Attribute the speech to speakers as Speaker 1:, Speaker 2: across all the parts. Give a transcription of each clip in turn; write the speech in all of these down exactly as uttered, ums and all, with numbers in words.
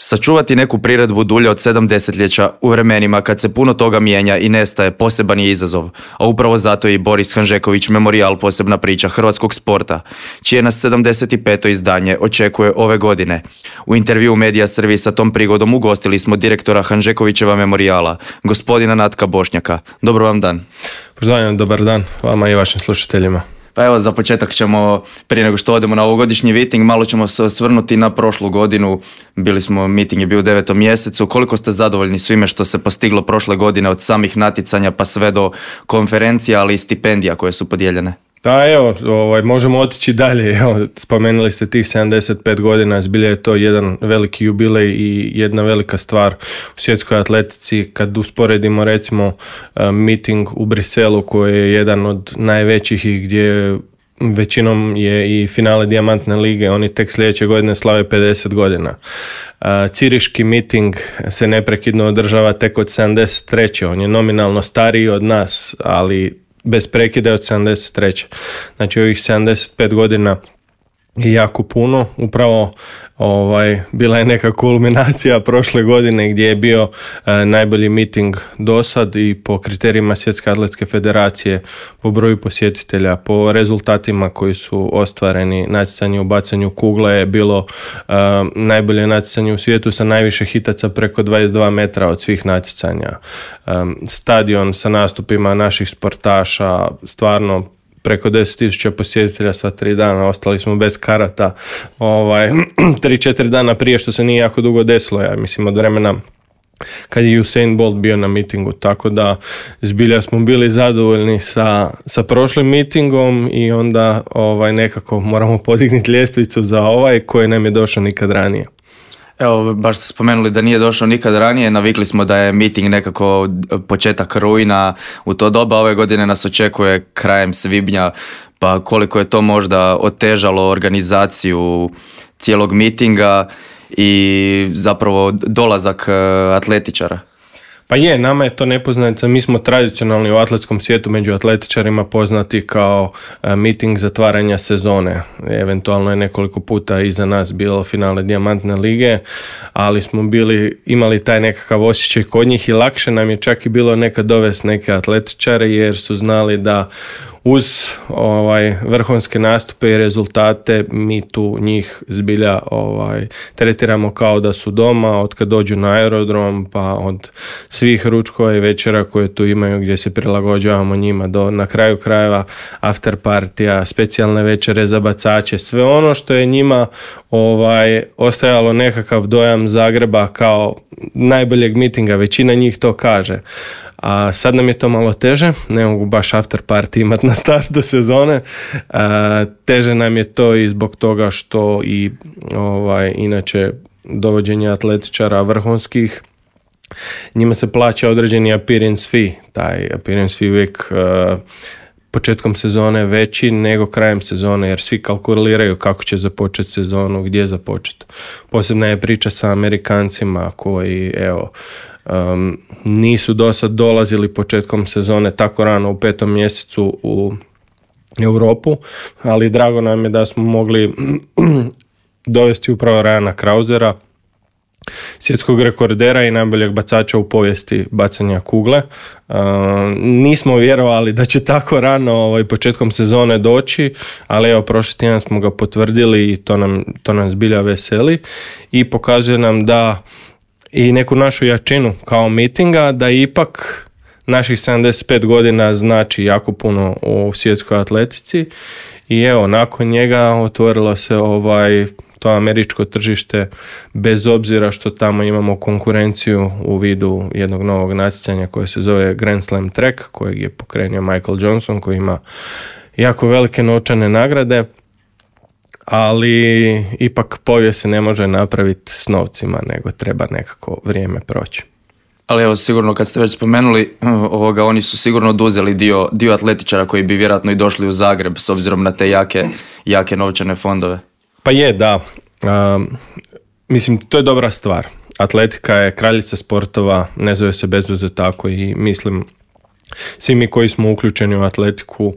Speaker 1: Sačuvati neku priredbu dulje od sedam desetljeća u vremenima kad se puno toga mijenja i nestaje poseban je izazov, a upravo zato je i Boris Hanžeković Memorijal posebna priča hrvatskog sporta, čije nas sedamdeset peto izdanje očekuje ove godine. U intervju Medija servisa tom prigodom ugostili smo direktora Hanžekovićeva Memorijala, gospodina Natka Bošnjaka. Dobro vam dan.
Speaker 2: Pozdravljam, dobar dan vama i vašim slušateljima.
Speaker 1: Pa evo, za početak ćemo, prije nego što odemo na ovogodišnji miting, malo ćemo se osvrnuti na prošlu godinu. Bili smo, miting je bio u devetom mjesecu. Koliko ste zadovoljni svime što se postiglo prošle godine od samih natjecanja pa sve do konferencija, ali i stipendija koje su podijeljene?
Speaker 2: Da, evo, ovaj, možemo otići dalje. Evo, spomenuli ste tih sedamdeset pet godina, zbilja je to jedan veliki jubilej i jedna velika stvar u svjetskoj atletici. Kad usporedimo recimo miting u Briselu koji je jedan od najvećih i gdje većinom je i finale Dijamantne lige, oni tek sljedeće godine slave pedeset godina. Ciriški miting se neprekidno održava tek od sedamdeset treće. On je nominalno stariji od nas, ali bez prekida od sedamdeset treće. Znači ovih sedamdeset pet godina je jako puno. Upravo ovaj, bila je neka kulminacija prošle godine gdje je bio e, najbolji miting do sad i po kriterijima Svjetske atletske federacije, po broju posjetitelja, po rezultatima koji su ostvareni. Natjecanje u bacanju kugle je bilo e, najbolje natjecanje u svijetu sa najviše hitaca preko dvadeset dva metra od svih natjecanja. E, stadion sa nastupima naših sportaša, stvarno preko deset tisuća posjetitelja sva tri dana, ostali smo bez karata ovaj, tri četiri dana prije, što se nije jako dugo desilo, ja mislim od vremena kad je Usain Bolt bio na mitingu, tako da zbilja smo bili zadovoljni sa, sa prošlim mitingom i onda ovaj, nekako moramo podignuti ljestvicu za ovaj koji nam je došao nikad ranije.
Speaker 1: Evo, baš ste spomenuli da nije došao nikad ranije, navikli smo da je miting nekako početak rujna, u to doba ove godine nas očekuje krajem svibnja, pa koliko je to možda otežalo organizaciju cijelog mitinga i zapravo dolazak atletičara?
Speaker 2: Pa je, nama je to nepoznanica, mi smo tradicionalni u atletskom svijetu među atletičarima poznati kao e, miting zatvaranja sezone. Eventualno je nekoliko puta iza nas bilo finale Dijamantne lige, ali smo bili, imali taj nekakav osjećaj kod njih i lakše nam je čak i bilo nekad dovesti neke atletičare jer su znali da uz ovaj vrhunske nastupe i rezultate mi tu njih zbilja ovaj tretiramo kao da su doma od kad dođu na aerodrom, pa od svih ručkova i večera koje tu imaju gdje se prilagođavamo njima do na kraju krajeva after partija, specijalne večere za bacače, sve ono što je njima ovaj ostajalo nekakav dojam Zagreba kao najboljeg mitinga, većina njih to kaže. A sad nam je to malo teže, ne mogu baš after party imati na startu sezone. A, teže nam je to i zbog toga što i ovaj, inače dovođenje atletičara vrhunskih, njima se plaća određeni appearance fee. Taj appearance fee uvijek uh, početkom sezone veći nego krajem sezone, jer svi kalkuliraju kako će započeti sezonu, gdje započeti. Posebna je priča sa Amerikancima koji, evo, Um, nisu do sad dolazili početkom sezone tako rano u petom mjesecu u Europu, ali drago nam je da smo mogli dovesti upravo Ryana Krausera, svjetskog rekordera i najboljeg bacača u povijesti bacanja kugle. Uh, nismo vjerovali da će tako rano ovaj, početkom sezone doći, ali evo prošli tjedan smo ga potvrdili i to nam, to nam zbilja veseli i pokazuje nam da i neku našu jačinu kao mitinga, da ipak naših sedamdeset pet godina znači jako puno u svjetskoj atletici i evo, nakon njega otvorilo se ovaj to američko tržište, bez obzira što tamo imamo konkurenciju u vidu jednog novog natjecanja koje se zove Grand Slam Track, kojeg je pokrenio Michael Johnson, koji ima jako velike novčane nagrade, ali ipak povijest se ne može napraviti s novcima, nego treba nekako vrijeme proći.
Speaker 1: Ali evo, sigurno kad ste već spomenuli ovoga, oni su sigurno oduzeli dio, dio atletičara koji bi vjerojatno i došli u Zagreb s obzirom na te jake, jake novčane fondove.
Speaker 2: Pa je, da. Um, mislim, to je dobra stvar. Atletika je kraljica sportova, ne zove se bez veze tako i mislim svi mi koji smo uključeni u atletiku,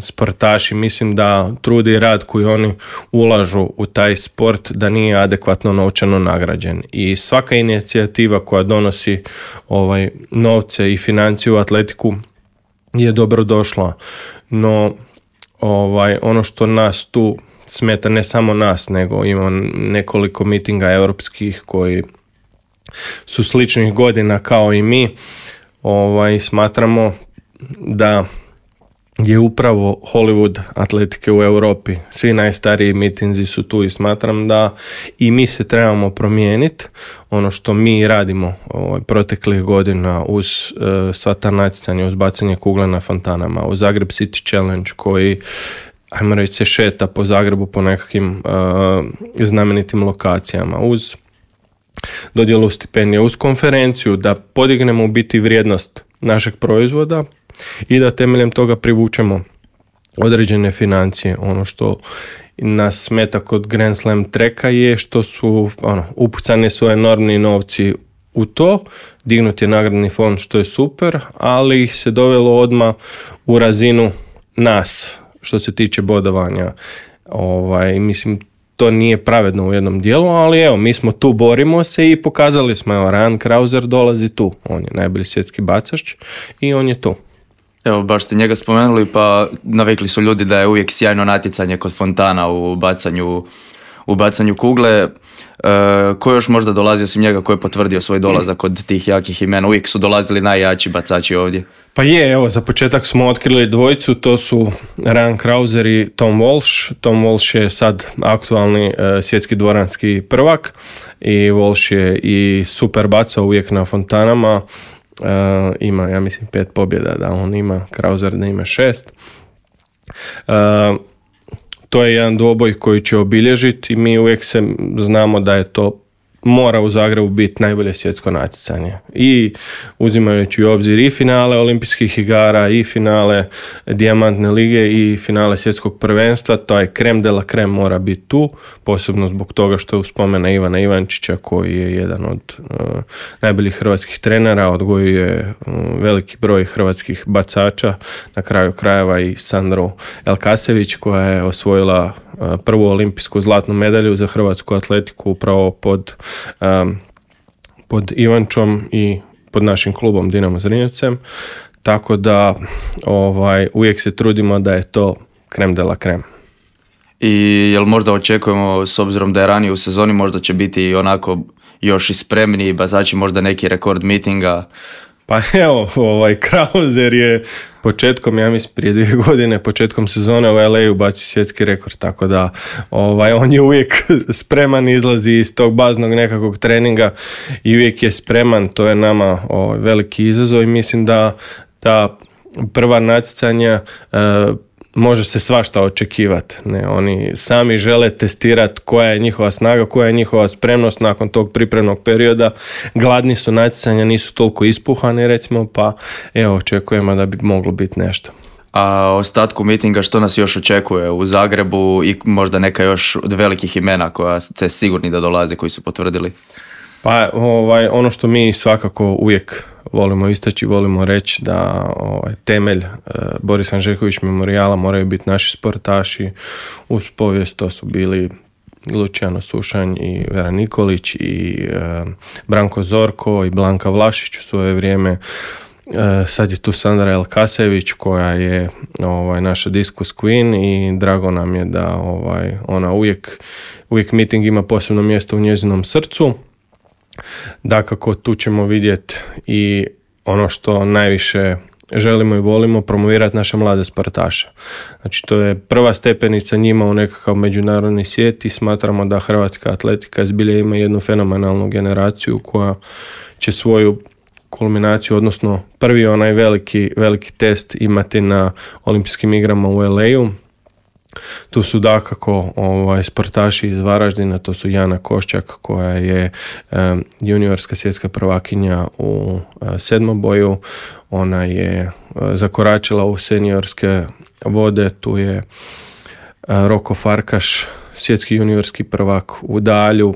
Speaker 2: sportaši, mislim da trud i rad koji oni ulažu u taj sport da nije adekvatno novčano nagrađen. I svaka inicijativa koja donosi ovaj, novce i financije u atletiku je dobro došla. No, ovaj, ono što nas tu smeta, ne samo nas, nego ima nekoliko mitinga europskih koji su sličnih godina kao i mi. Ovaj, smatramo da je upravo Hollywood atletike u Europi. Svi najstariji mitinzi su tu i smatram da i mi se trebamo promijeniti. Ono što mi radimo ovaj, proteklih godina uz uh, sva ta natjecanja, uz bacanje kugle na fontanama, uz Zagreb City Challenge koji, ajmo reći, se šeta po Zagrebu po nekakvim uh, znamenitim lokacijama, uz dodjelu stipendija, uz konferenciju, da podignemo u biti vrijednost našeg proizvoda i da temeljem toga privučemo određene financije. Ono što nas smeta kod Grand Slam treka je što su ono, upucani su enormni novci u to, dignut je nagradni fond što je super, ali ih se dovelo odmah u razinu nas što se tiče bodovanja. Ovaj, mislim, to nije pravedno u jednom dijelu, ali evo, mi smo tu, borimo se i pokazali smo, evo, Ryan Krauser dolazi tu, on je najbolji svjetski bacač i on je tu.
Speaker 1: Evo, baš ste njega spomenuli, pa navikli su ljudi da je uvijek sjajno natjecanje kod fontana u bacanju, u bacanju kugle. E, ko još možda dolazi osim njega, ko je potvrdio svoj dolazak kod tih jakih imena? Uvijek su dolazili najjači bacači ovdje.
Speaker 2: Pa je, evo, za početak smo otkrili dvojicu, to su Ryan Krauser i Tom Walsh. Tom Walsh je sad aktualni e, svjetski dvoranski prvak i Walsh je i super bacao uvijek na fontanama. Uh, ima, ja mislim, pet pobjeda da on ima, Krauser da ima šest. Uh, to je jedan dvoboj koji će obilježiti i mi uvijek se znamo da je to mora u Zagrebu biti najbolje svjetsko natjecanje. I uzimajući u obzir i finale olimpijskih igara, i finale dijamantne lige, i finale svjetskog prvenstva, to je krem de la krem mora biti tu, posebno zbog toga što je uspomena Ivana Ivančića koji je jedan od uh, najboljih hrvatskih trenera, odgojio je uh, veliki broj hrvatskih bacača, na kraju krajeva i Sandru Elkasević koja je osvojila uh, prvu olimpijsku zlatnu medalju za hrvatsku atletiku upravo pod Um, pod Ivančom i pod našim klubom Dinamo Zrinjevcem, tako da ovaj, uvijek se trudimo da je to krem de la krem.
Speaker 1: I jel možda očekujemo, s obzirom da je ranije u sezoni, možda će biti onako još i spremni bacači, možda neki rekord mitinga?
Speaker 2: Pa evo, ovaj Krauser je početkom, ja mislim prije dvije godine, početkom sezone u L A baci svjetski rekord, tako da ovaj, on je uvijek spreman, izlazi iz tog baznog nekakvog treninga i uvijek je spreman, to je nama ovaj, veliki izazov i mislim da ta prva natjecanja uh, može se svašta očekivati. Ne, oni sami žele testirati koja je njihova snaga, koja je njihova spremnost nakon tog pripremnog perioda. Gladni su natjecanja, nisu toliko ispuhani recimo, pa evo očekujemo da bi moglo biti nešto.
Speaker 1: A ostatku mitinga što nas još očekuje u Zagrebu i možda neka još od velikih imena koja ste sigurni da dolaze, koji su potvrdili?
Speaker 2: Pa ovaj, ono što mi svakako uvijek volimo istaći, volimo reći da ovaj, temelj e, Boris Hanžeković memorijala moraju biti naši sportaši. Uz povijest to su bili Luciano Sušanj i Vera Nikolić i e, Branko Zorko i Blanka Vlašić u svoje vrijeme. E, sad je tu Sandra Elkasević koja je ovaj, naša diskus queen i drago nam je da ovaj, ona uvijek, uvijek miting ima posebno mjesto u njezinom srcu. Dakako, tu ćemo vidjeti i ono što najviše želimo i volimo, promovirati naše mlade sportaše. Znači, to je prva stepenica njima u nekakav međunarodni svijet i smatramo da hrvatska atletika zbilja ima jednu fenomenalnu generaciju koja će svoju kulminaciju, odnosno prvi onaj veliki, veliki test imati na olimpijskim igrama u L A-u. Tu su dakako ovaj, sportaši iz Varaždina, to su Jana Koščak koja je um, juniorska svjetska prvakinja u uh, sedmoboju, ona je uh, zakoračila u seniorske vode, tu je uh, Roko Farkaš, svjetski juniorski prvak u dalju,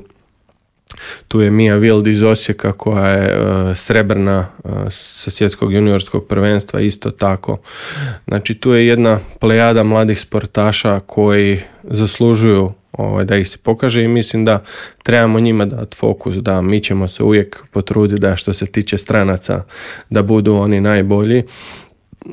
Speaker 2: tu tu je Mia Wild iz Osijeka koja je uh, srebrna uh, sa svjetskog juniorskog prvenstva isto tako. Znači tu je jedna plejada mladih sportaša koji zaslužuju ovaj, da ih se pokaže i mislim da trebamo njima dati fokus, da mi ćemo se uvijek potruditi da što se tiče stranaca da budu oni najbolji.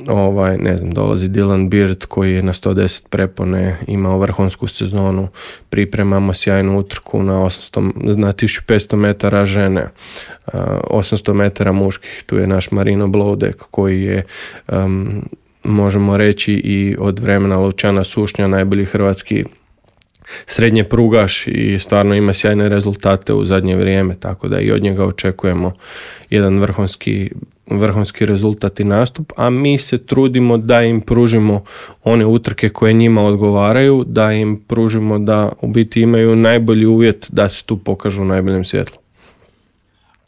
Speaker 2: Ovaj, ne znam, dolazi Dylan Beard koji je na sto deset prepone imao vrhunsku sezonu, pripremamo sjajnu utrku na, osamsto, na tisuću petsto metara žene, uh, osamsto metara muških, tu je naš Marino Blodek koji je um, možemo reći i od vremena Lučana Sušnja najbolji hrvatski srednje prugaš i stvarno ima sjajne rezultate u zadnje vrijeme, tako da i od njega očekujemo jedan vrhunski, vrhunski rezultat i nastup, a mi se trudimo da im pružimo one utrke koje njima odgovaraju, da im pružimo da u biti imaju najbolji uvjet da se tu pokažu u najboljem svjetlu.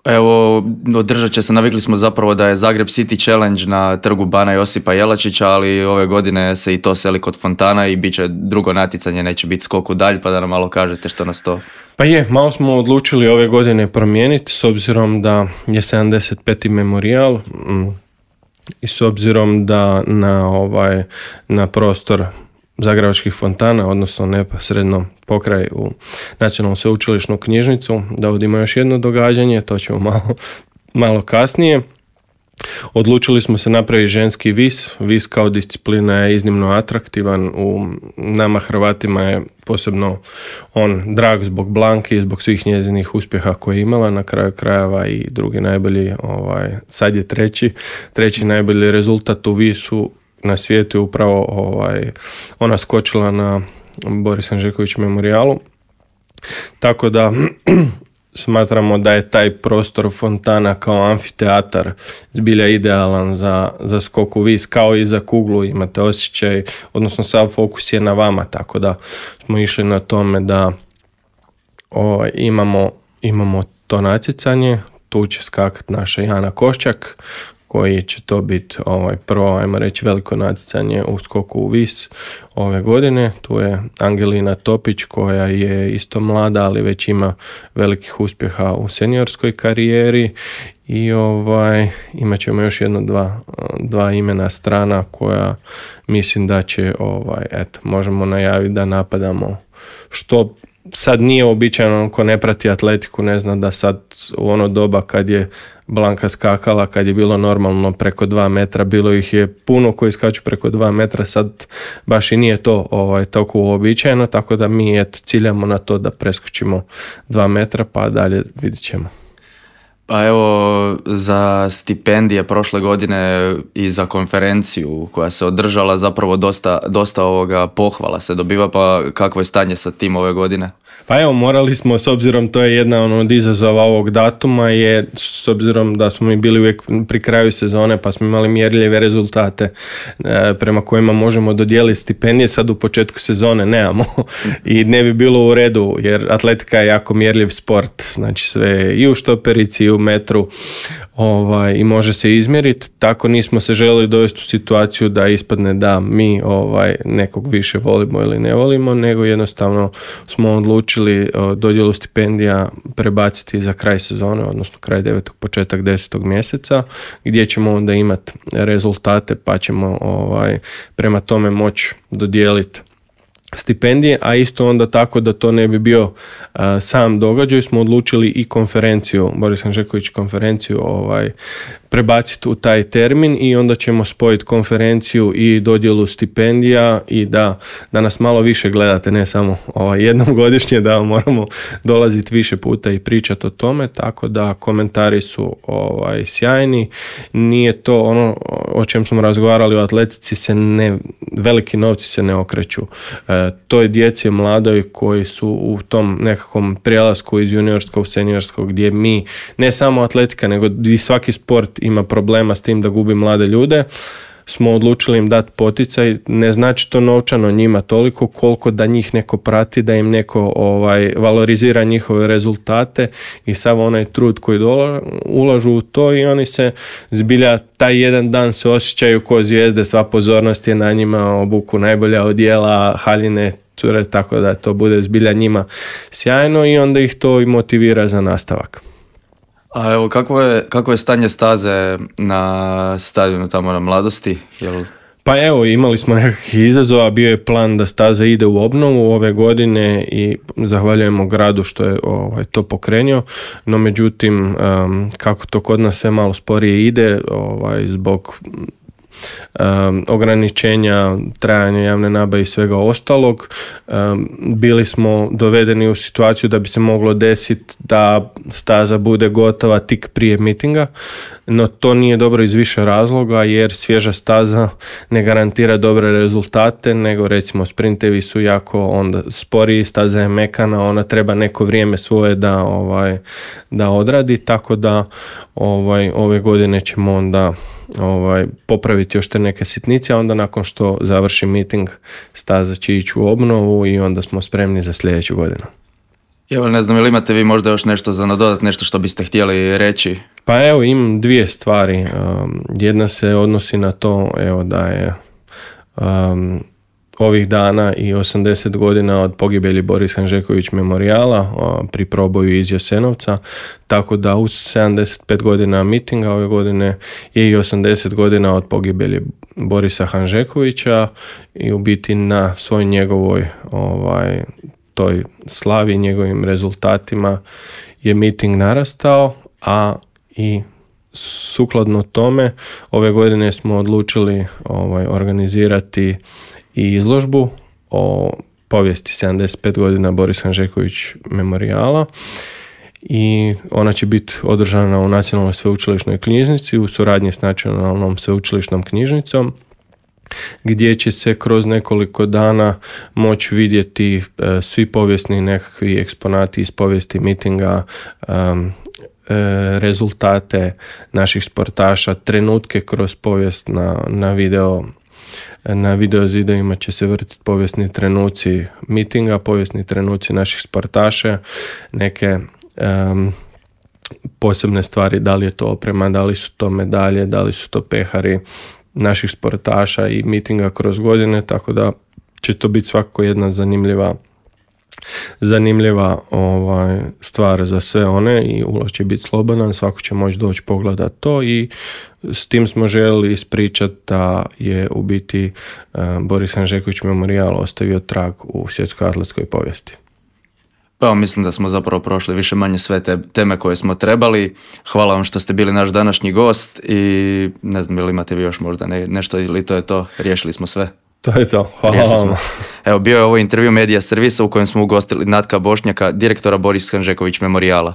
Speaker 1: Evo, održat će se, navikli smo zapravo da je Zagreb City Challenge na trgu Bana Josipa Jelačića, ali ove godine se i to seli kod fontana i bit će drugo natjecanje, neće biti skok u dalj, pa da nam malo kažete što nas to...
Speaker 2: Pa je, malo smo odlučili ove godine promijeniti s obzirom da je sedamdeset peti memorijal i s obzirom da na, ovaj, na prostor Zagrebačkih fontana, odnosno neposredno pokraj u Nacionalnu sveučilišnu knjižnicu, da uvodimo još jedno događanje, to ćemo malo, malo kasnije. Odlučili smo se napraviti ženski vis. Vis kao disciplina je iznimno atraktivan. U nama Hrvatima je posebno on drag zbog Blanke i zbog svih njezinih uspjeha koje je imala. Na kraju krajeva i drugi najbolji, ovaj, sad je treći, treći najbolji rezultat u visu na svijetu je upravo ovaj, ona skočila na Boris Hanžeković memorijalu. Tako da smatramo da je taj prostor fontana kao amfiteatar zbilja idealan za, za skok u vis, kao i za kuglu, imate osjećaj, odnosno sav fokus je na vama, tako da smo išli na tome da o, imamo, imamo to natjecanje. Tu će skakati naša Jana Koščak, koji će to biti ovaj, prvo, ajmo reći, veliko natjecanje u skoku u vis ove godine. Tu je Angelina Topić koja je isto mlada, ali već ima velikih uspjeha u seniorskoj karijeri i ovaj, imat ćemo još jedno dva, dva imena strana koja mislim da će, ovaj, eto, možemo najaviti da napadamo što sad nije običajno, ko ne prati atletiku ne zna da sad u ono doba kad je Blanka skakala, kad je bilo normalno preko dva metra, bilo ih je puno koji skaču preko dva metra, sad baš i nije to ovaj, tako uobičajeno, tako da mi eto, ciljamo na to da preskočimo dva metra pa dalje vidit ćemo.
Speaker 1: Pa evo, za stipendije prošle godine i za konferenciju koja se održala zapravo dosta, dosta ovoga pohvala se dobiva, pa kakvo je stanje sa tim ove godine?
Speaker 2: Pa evo, morali smo, s obzirom to je jedna ono, od izazova ovog datuma, je s obzirom da smo mi bili uvijek pri kraju sezone pa smo imali mjerljive rezultate e, prema kojima možemo dodijeliti stipendije, sad u početku sezone nemamo i ne bi bilo u redu jer atletika je jako mjerljiv sport, znači sve i u štoperici i u metru ovaj, i može se izmjeriti, tako nismo se željeli dovesti u situaciju da ispadne da mi ovaj, nekog više volimo ili ne volimo, nego jednostavno smo odlučili dodjelu stipendija prebaciti za kraj sezone, odnosno kraj devetog, početak desetog mjeseca, gdje ćemo onda imati rezultate pa ćemo ovaj, prema tome moći dodijeliti stipendije, a isto onda tako da to ne bi bio uh, sam događaj, smo odlučili i konferenciju, Boris Hanžeković konferenciju ovaj, prebaciti u taj termin i onda ćemo spojiti konferenciju i dodjelu stipendija i da, da nas malo više gledate, ne samo ovaj, jednom godišnje, da moramo dolaziti više puta i pričati o tome, tako da komentari su ovaj, sjajni. Nije to ono o čem smo razgovarali u atletici, se ne, veliki novci se ne okreću. E, to je djeci mladoj koji su u tom nekakvom prijelasku iz juniorskog u seniorskog, gdje mi, ne samo atletika, nego i svaki sport ima problema s tim da gubi mlade ljude, smo odlučili im dati poticaj. Ne znači to novčano njima toliko koliko da njih neko prati, da im neko ovaj, valorizira njihove rezultate i sav onaj trud koji dola, ulažu u to i oni se zbilja taj jedan dan se osjećaju kao zvijezde, sva pozornost je na njima, obuku najbolja odjela, haljine, cure, tako da to bude zbilja njima sjajno i onda ih to i motivira za nastavak.
Speaker 1: A evo, kako je, kako je stanje staze na stadionu tamo na Mladosti? Jel...
Speaker 2: Pa evo, imali smo nekakvih izazova, bio je plan da staza ide u obnovu ove godine i zahvaljujemo gradu što je ovaj, to pokrenio, no međutim, um, kako to kod nas sve malo sporije ide, ovaj, zbog Um, ograničenja trajanja javne nabave i svega ostalog, um, bili smo dovedeni u situaciju da bi se moglo desiti da staza bude gotova tik prije mitinga, no to nije dobro iz više razloga, jer svježa staza ne garantira dobre rezultate, nego recimo sprintevi su jako onda sporiji, staza je mekana, ona treba neko vrijeme svoje da, ovaj, da odradi, tako da ovaj, ove godine ćemo onda ovaj, popraviti još te neke sitnice, a onda nakon što završi miting staza će ići u obnovu i onda smo spremni za sljedeću godinu.
Speaker 1: Evo, ne znam, ili imate vi možda još nešto za nadodat, nešto što biste htjeli reći?
Speaker 2: Pa evo, imam dvije stvari. Um, jedna se odnosi na to, evo, da je um, ovih dana i osamdeset godina od pogibelji Boris Hanžeković memorijala uh, pri proboju iz Jasenovca, tako da uz sedamdeset pet godina mitinga ove godine je i osamdeset godina od pogibelji Borisa Hanžekovića i u biti na svoj njegovoj ovaj, toj slavi, njegovim rezultatima je miting narastao, a i sukladno tome ove godine smo odlučili ovaj, organizirati i izložbu o povijesti sedamdeset pet godina Boris Hanžeković memorijala i ona će biti održana u Nacionalnoj sveučilišnoj knjižnici u suradnji s Nacionalnom sveučilišnom knjižnicom, gdje će se kroz nekoliko dana moći vidjeti e, svi povijesni nekakvi eksponati iz povijesti mitinga, e, e, rezultate naših sportaša, trenutke kroz povijest na, na video. Na video zidovima će se vrtiti povijesni trenuci mitinga, povijesni trenuci naših sportaša, neke um, posebne stvari, da li je to oprema, da li su to medalje, da li su to pehari naših sportaša i mitinga kroz godine, tako da će to biti svakako jedna zanimljiva zanimljiva ovaj, stvar za sve one i ulaz će biti slobodan, svako će moći doći pogledati to i s tim smo željeli ispričati da je u biti uh, Boris Hanžeković memorijal ostavio trag u svjetskoj atletskoj povijesti.
Speaker 1: Pa mislim da smo zapravo prošli više manje sve te teme koje smo trebali. Hvala vam što ste bili naš današnji gost i ne znam ili imate vi još možda ne, nešto ili to je to, riješili smo sve.
Speaker 2: To je to, hvala vam.
Speaker 1: Evo, bio je ovo intervju Medija servisa u kojem smo ugostili Natka Bošnjaka, direktora Boris Hanžeković memorijala.